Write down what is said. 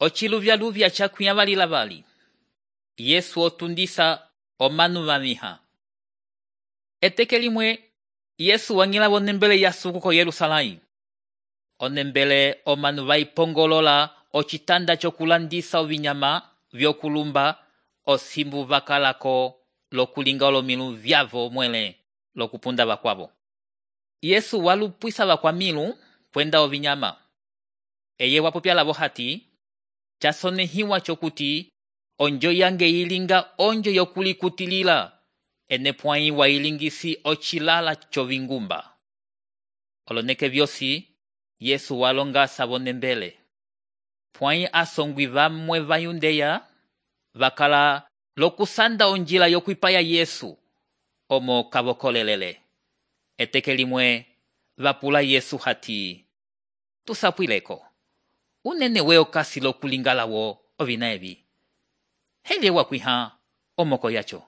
Ociluvyaluvya cakwĩa vali. Yesu otundisa omanu vamiha. Eteke limwe Yesu wang'ila vonembele yasuku ko Yerusalém. Onembele omanu vaipongolola ocitanda cokulandisa ovinyama vyokulumba osimbu vakalako lokulinga olomilu vyavo mwele lokupunda vakwavo. Yesu walupwisa vakwamilu kwenda ovinyama. Eye wapopya lavo hati, casonehiwa cokuti onjo yange ilinga onjo yokulikutilila, ene pwãyi wailingisi ocilala covingumba. Oloneke vyosi Yesu walongasa vonembele. Pwãyi asongwi vamwe va Yudeya vakala lokusanda onjila yokwipaya Yesu omo kavokolelele. Eteke limwe vapula Yesu hati, tusapwileko, unene we okasi lokulingalawo ovina evi. Hele wakwiha omoko yacho.